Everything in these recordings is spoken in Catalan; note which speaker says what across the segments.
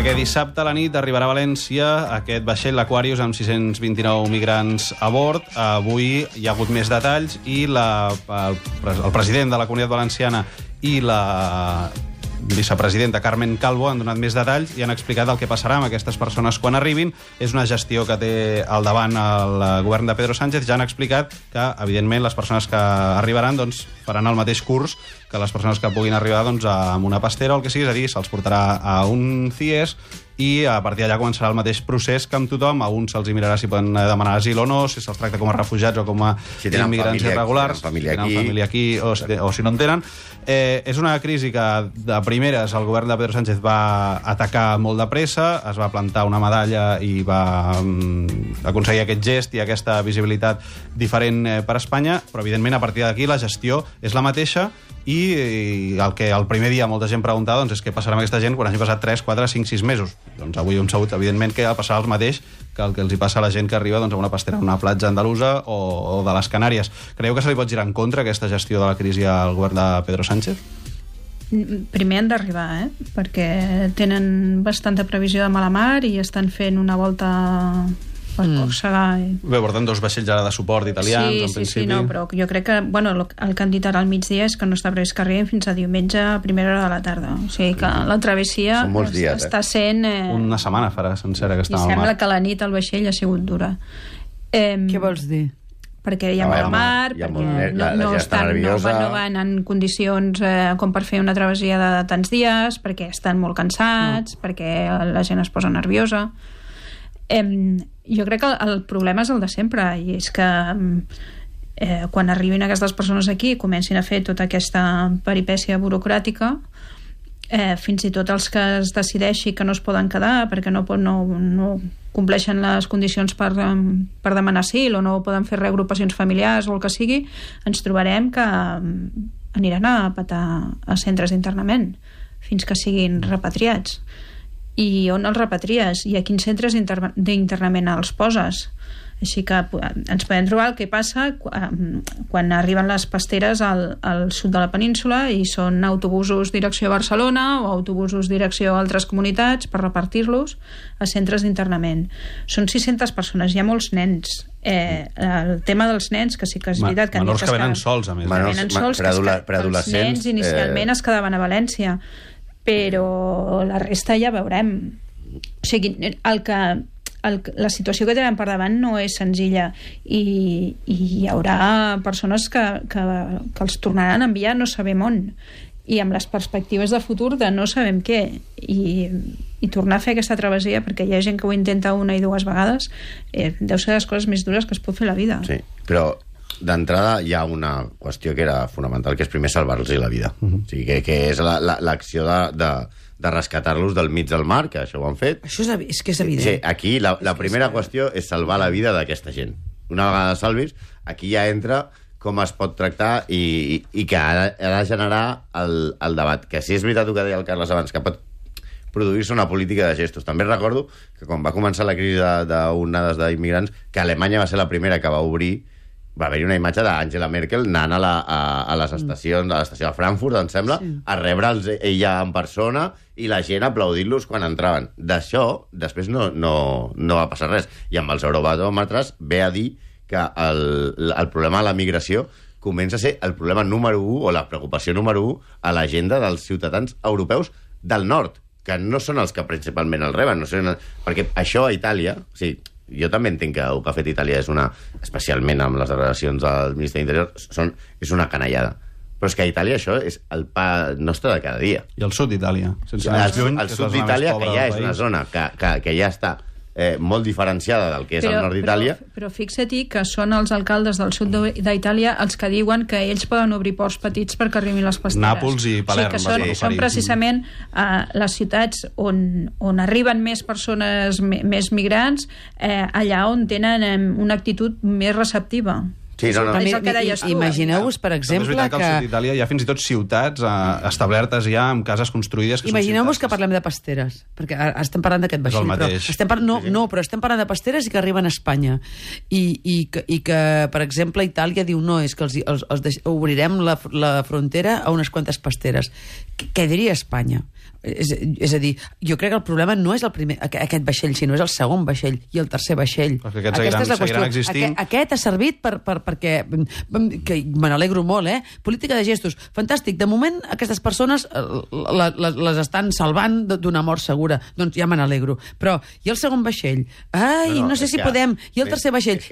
Speaker 1: perquè dissabte a la nit arribarà a València aquest vaixell, l'Aquarius, amb 629 migrants a bord. Avui hi ha hagut més detalls i el president de la Comunitat Valenciana i la vicepresidenta Carmen Calvo han donat més detalls i han explicat el que passarà amb aquestes persones quan arribin. És una gestió que té al davant el govern de Pedro Sánchez. Ja han explicat que, evidentment, les persones que arribaran faran el mateix curs que les persones que puguin arribar amb una pastera o el que sigui, és a dir, se'ls portarà a un CIES i a partir d'allà començarà el mateix procés que amb tothom. A uns se'ls mirarà si poden demanar asil o no, si se'ls tracta com a refugiats o com a immigrants irregulars, si tenen família aquí o si no en tenen. És una crisi que de primeres el govern de Pedro Sánchez va atacar molt de pressa, es va plantar una medalla i va aconseguir aquest gest i aquesta visibilitat diferent per Espanya, però evidentment a partir d'aquí la gestió és la mateixa i el que el primer dia molta gent preguntava és què passarà amb aquesta gent quan hagi passat 3, 4, 5, 6 mesos. Doncs avui hem sabut, evidentment, que passarà el mateix que el que els hi passa a la gent que arriba a una pastera, a una platja andalusa o de les Canàries. Creieu que se li pot girar en contra aquesta gestió de la crisi al govern de Pedro Sánchez?
Speaker 2: Primer han d'arribar, perquè tenen bastanta previsió de mala mar i estan fent una volta per Còrsega.
Speaker 1: Bé, porten 2 vaixells ara de suport italians, en principi.
Speaker 2: Sí, no, però jo crec que el que han dit ara al migdia és que no està previst que arribin fins a diumenge a primera hora de la tarda. O sigui que la travessia està sent...
Speaker 1: Una setmana farà sencera que està al mar.
Speaker 2: I sembla que la nit al vaixell ha sigut dura.
Speaker 3: Què vols dir?
Speaker 2: Perquè hi ha mala mar, perquè no van en condicions com per fer una travessia de tants dies, perquè estan molt cansats, perquè la gent es posa nerviosa. Jo crec que el problema és el de sempre, i és que quan arribin aquestes persones aquí i comencin a fer tota aquesta peripècia burocràtica, fins i tot els que es decideixi que no es poden quedar perquè no compleixen les condicions per demanar asil o no poden fer reagrupacions familiars o el que sigui, ens trobarem que aniran a petar a centres d'internament fins que siguin repatriats. I on els repatries? I a quins centres d'internament els poses? Així que ens podem trobar el que passa quan arriben les pasteres al sud de la península i són autobusos direcció a Barcelona o autobusos direcció a altres comunitats per repartir-los a centres d'internament. Són 600 persones, hi ha molts nens. El tema dels nens, que sí que és veritat que
Speaker 1: menors que venen sols, a més.
Speaker 2: Els nens inicialment es quedaven a València, però la resta ja veurem. O sigui, la situació que tenen per davant no és senzilla i hi haurà persones que els tornaran a enviar no sabem on, i amb les perspectives de futur de no sabem què, i tornar a fer aquesta travessia, perquè hi ha gent que ho intenta 1 i 2 vegades, deu ser les coses més dures que es pot fer a la vida.
Speaker 4: Sí, però d'entrada hi ha una qüestió que era fonamental, que és primer salvar-los la vida. O sigui, que és l'acció de rescatar-los del mig del mar, que això ho han fet.
Speaker 3: Això és que és evident.
Speaker 4: Sí, aquí la primera qüestió és salvar la vida d'aquesta gent. Una vegada salvis, aquí ja entra com es pot tractar i que ha de generar el debat. Que sí és veritat el que deia el Carles abans, que pot produir-se una política de gestos. També recordo que quan va començar la crisi d'onades d'immigrants, que Alemanya va ser la primera que va obrir, va haver-hi una imatge d'Angela Merkel anant a les estacions, a l'estació de Frankfurt, em sembla, a rebre'ls ella en persona i la gent aplaudint-los quan entraven. D'això, després no va passar res. I amb els eurobaròmetres ve a dir que el problema de la migració comença a ser el problema número 1 o la preocupació número 1 a l'agenda dels ciutadans europeus del nord, que no són els que principalment el reben, perquè això a Itàlia... O sigui, jo també entenc que el que ha fet Itàlia és especialment amb les declaracions del Ministre d'Interior, és una canallada. Però és que a Itàlia això és el pa nostre de cada dia.
Speaker 1: I el sud d'Itàlia.
Speaker 4: El sud d'Itàlia, que ja és una zona que ja està molt diferenciada del que és el nord d'Itàlia.
Speaker 2: Però fixa-t'hi que són els alcaldes del sud d'Itàlia els que diuen que ells poden obrir ports petits perquè arribin les pasteres.
Speaker 1: Nàpols i Palerm.
Speaker 2: O sigui que són precisament les ciutats on arriben més persones, més migrants, allà on tenen una actitud més receptiva.
Speaker 4: Sí,
Speaker 3: Imagineu-vos, per exemple,
Speaker 1: que al sud d'Itàlia hi ha fins i tot ciutats establertes ja amb cases construïdes.
Speaker 3: Imagineu-vos que parlem de pasteres, perquè estem parlant d'aquest vaixell. Però estem parlant de pasteres i que arriben a Espanya. I que, per exemple, Itàlia diu no, és que obrirem la frontera a unes quantes pasteres. Què diria Espanya? És a dir, jo crec que el problema no és aquest vaixell, sinó és el segon vaixell i el tercer vaixell.
Speaker 1: Perquè aquests seguiran existint.
Speaker 3: Aquest ha servit perquè me n'alegro molt, política de gestos, fantàstic. De moment, aquestes persones les estan salvant d'una mort segura. Doncs ja me n'alegro. Però, i el segon vaixell? Ai, no sé si podem. I el tercer vaixell?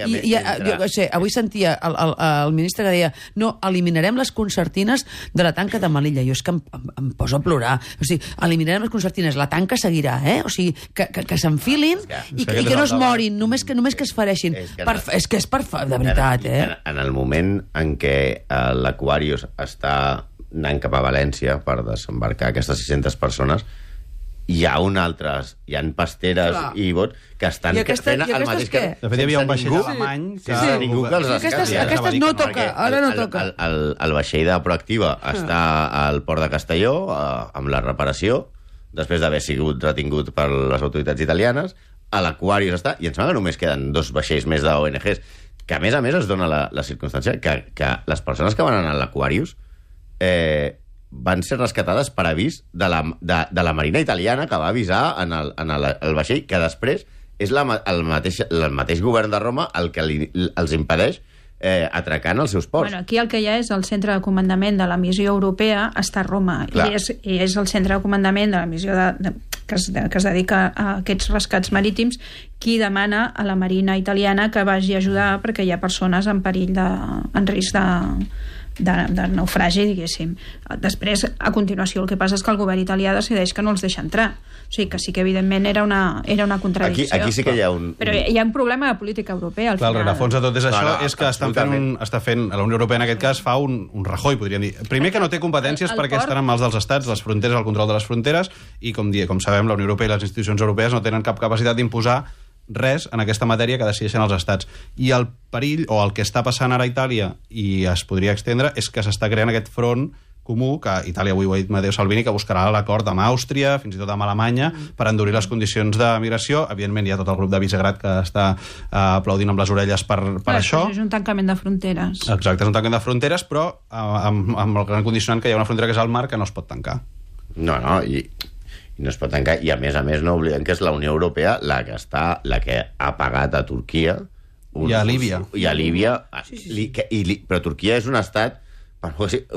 Speaker 3: Avui sentia el ministre que deia no, eliminarem les concertines de la tanca de Melilla. Jo és que em poso a plorar. O sigui, eliminarem les concertines, la tanca seguirà, O sigui, que s'enfilin i que no es morin, només que es fereixin. És que és de veritat,
Speaker 4: En el moment en què l'Aquarius està anant cap a València per desembarcar aquestes 600 persones, hi ha pasteres i bot que estan fent el mateix que...
Speaker 1: De fet, hi havia un vaixell alemany que...
Speaker 4: Ningú que els rescati.
Speaker 3: Aquestes no toca, ara no toca.
Speaker 4: El vaixell de Proactiva està al port de Castelló amb la reparació, després d'haver sigut retingut per les autoritats italianes. A l'Aquarius està, i em sembla que només queden 2 vaixells més d'ONGs, que a més es dona la circumstància que les persones que van anar a l'Aquarius van ser rescatades per avís de la Marina italiana, que va avisar en el vaixell, que després és el mateix govern de Roma el que els impedeix atracar en els seus ports.
Speaker 2: Bueno, aquí el que hi ha és el centre de comandament de la missió europea està a Roma, i és el centre de comandament de la missió que es dedica a aquests rescats marítims qui demana a la Marina italiana que vagi a ajudar perquè hi ha persones en perill en risc de naufragi, diguéssim. Després, a continuació, el que passa és que el govern italià decideix que no els deixa entrar. O sigui, que sí que, evidentment, era una contradicció.
Speaker 4: Aquí sí que hi ha un...
Speaker 2: Però hi ha un problema de política europea, al final.
Speaker 1: El rerefons de tot és això, és que està fent, la Unió Europea en aquest cas fa un Rajoy, podríem dir. Primer que no té competències perquè estan en mans dels estats, les fronteres, el control de les fronteres, i com sabem, la Unió Europea i les institucions europees no tenen cap capacitat d'imposar res en aquesta matèria que decideixen els estats. I el perill, o el que està passant ara a Itàlia, i es podria extendre, és que s'està creant aquest front comú, que Itàlia avui ho ha dit Matteo Salvini, que buscarà l'acord amb Àustria, fins i tot amb Alemanya, per endurir les condicions de migració. Evidentment hi ha tot el grup de Visegrad que està aplaudint amb les orelles per això.
Speaker 2: És un tancament de fronteres.
Speaker 1: Exacte, és un tancament de fronteres, però amb el gran condicionant que hi ha una frontera que és el mar que no es pot tancar.
Speaker 4: No, i no es pot tancar, i a més no oblidem que és la Unió Europea la que ha pagat a Turquia
Speaker 1: i a Líbia.
Speaker 4: Però Turquia és un estat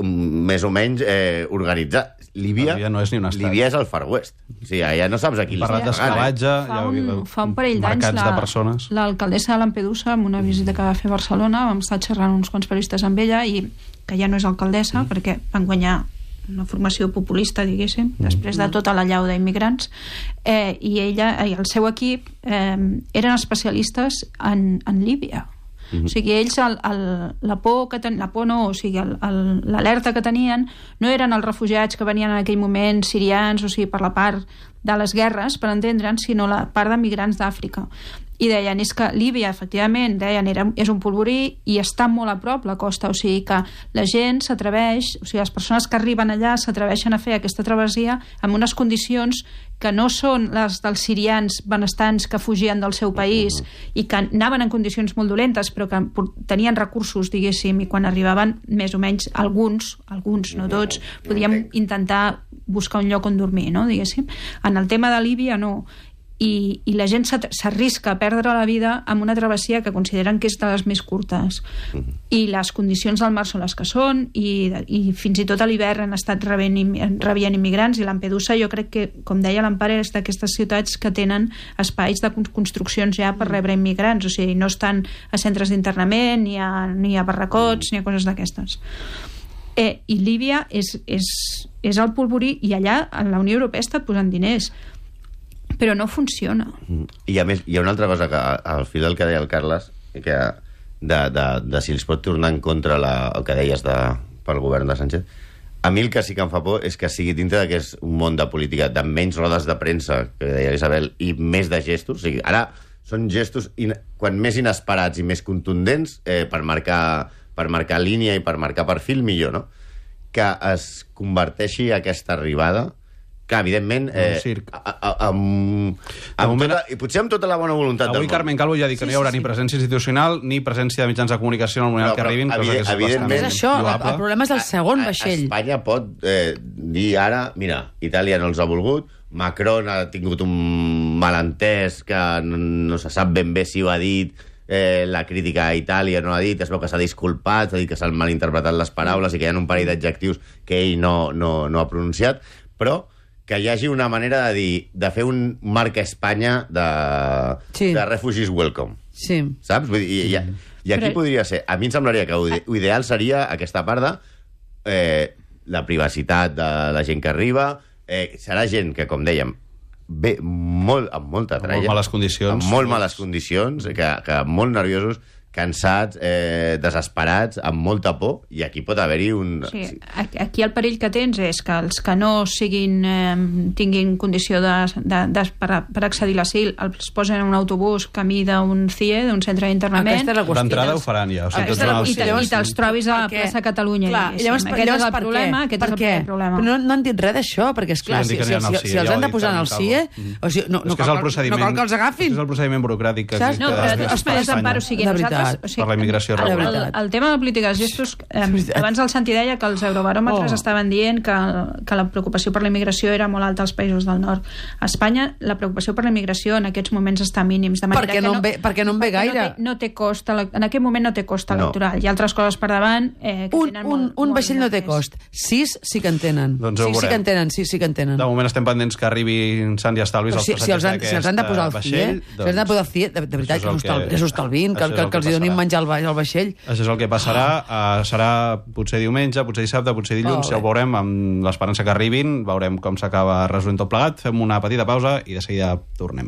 Speaker 4: més o menys organitzat. Líbia
Speaker 1: no és ni un estat.
Speaker 4: Líbia és el Far West. O sigui, allà no saps a qui
Speaker 1: parlat d'esclavatge,
Speaker 2: fa un parell d'anys l'alcaldessa de Lampedusa, amb una visita que va fer a Barcelona, vam estar xerrant uns quants periodistes amb ella, i que ja no és alcaldessa perquè van guanyar una formació populista, diguéssim, després de tota la llau d'immigrants, i ella i el seu equip eren especialistes en Líbia. O sigui, ells l'alerta que tenien no eren els refugiats que venien en aquell moment sirians, o sigui, per la part de les guerres, per entendre'ns, sinó la part de migrants d'Àfrica. I deien, és que Líbia, efectivament, és un polvorí i està molt a prop la costa, o sigui que la gent s'atreveix, o sigui, les persones que arriben allà s'atreveixen a fer aquesta travessia amb unes condicions que no són les dels sirians benestants que fugien del seu país i que anaven en condicions molt dolentes però que tenien recursos, diguéssim, i quan arribaven, més o menys, alguns, no tots, podíem intentar buscar un lloc on dormir, no, diguéssim. En el tema de Líbia, no. I la gent s'arrisca a perdre la vida amb una travessia que consideren que és de les més curtes. I les condicions del mar són les que són, i fins i tot a l'hivern han estat rebent immigrants, i Lampedusa, jo crec que, com deia l'Empare, és d'aquestes ciutats que tenen espais de construccions ja per rebre immigrants, o sigui, no estan a centres d'internament, ni a barracots, ni a coses d'aquestes. I Líbia és el polvorí, i allà la Unió Europea ha estat posant diners, però no funciona.
Speaker 4: I a més, hi ha una altra cosa que al fil del que deia el Carles, que de si els pot tornar en contra el que deies pel govern de Sánchez, a mi el que sí que em fa por és que sigui dintre que és un món de política de menys rodes de premsa, que deia Isabel, i més de gestos. O sigui, ara són gestos quan més inesperats i més contundents per marcar línia i per marcar perfil, millor, no? Que es converteixi aquesta arribada, clar, evidentment... I potser amb tota la bona voluntat del món.
Speaker 1: Avui Carmen Calvo ja ha dit que no hi haurà ni presència institucional ni presència de mitjans de comunicació en el moment que arribin, cosa que és bastant
Speaker 3: el problema és el segon vaixell.
Speaker 4: Espanya pot dir ara, mira, Itàlia no els ha volgut, Macron ha tingut un malentès que no se sap ben bé si ho ha dit, la crítica a Itàlia no l'ha dit, es veu que s'ha disculpat, s'ha dit que s'han malinterpretat les paraules i que hi ha un parell d'adjectius que ell no ha pronunciat, però que hi hagi una manera de dir, de fer un marca Espanya de refugees welcome.
Speaker 3: Sí.
Speaker 4: Saps? Vull dir, i aquí podria ser... A mi em semblaria que ho ideal seria aquesta part de la privacitat de la gent que arriba. Serà gent que, com dèiem, ve amb molta tralla.
Speaker 1: Amb molt males condicions.
Speaker 4: Amb molt males condicions, que molt nerviosos, cansats, desesperats, amb molta por, i aquí pot haver-hi un...
Speaker 2: Sí, aquí el perill que tens és que els que no tinguin condició per accedir a l'asil els posen en un autobús camí d'un CIE, d'un centre d'internament.
Speaker 1: D'entrada ho faran ja.
Speaker 2: I te'ls trobis a la plaça Catalunya.
Speaker 3: Aquest és el problema. No han dit res d'això, perquè, esclar, si els han de posar en el CIE, no cal que els agafin.
Speaker 1: És el procediment burocràtic.
Speaker 2: No, però esperes emparo sigui nosaltres.
Speaker 1: Per la immigració regular.
Speaker 2: El tema de la política de gestos, abans el Santi deia que els eurobaròmetres estaven dient que la preocupació per la immigració era molt alta als països del nord. A Espanya la preocupació per la immigració en aquests moments està mínims.
Speaker 3: Perquè no en ve gaire.
Speaker 2: En aquest moment no té cost electoral. Hi ha altres coses per davant que tenen molt.
Speaker 3: Un vaixell no té cost. 6 sí que en tenen. Sí que en tenen.
Speaker 1: De moment estem pendents que arribin Sant i Estalvis els passatgers
Speaker 3: d'aquest vaixell. Si els han de posar al CIE, de veritat, que s'ho estalvin, que els donin menjar al vaixell.
Speaker 1: Això és el que passarà. Serà potser diumenge, potser dissabte, potser dilluns. Ja ho veurem, amb l'esperança que arribin. Veurem com s'acaba resolent tot plegat. Fem una petita pausa i de seguida tornem.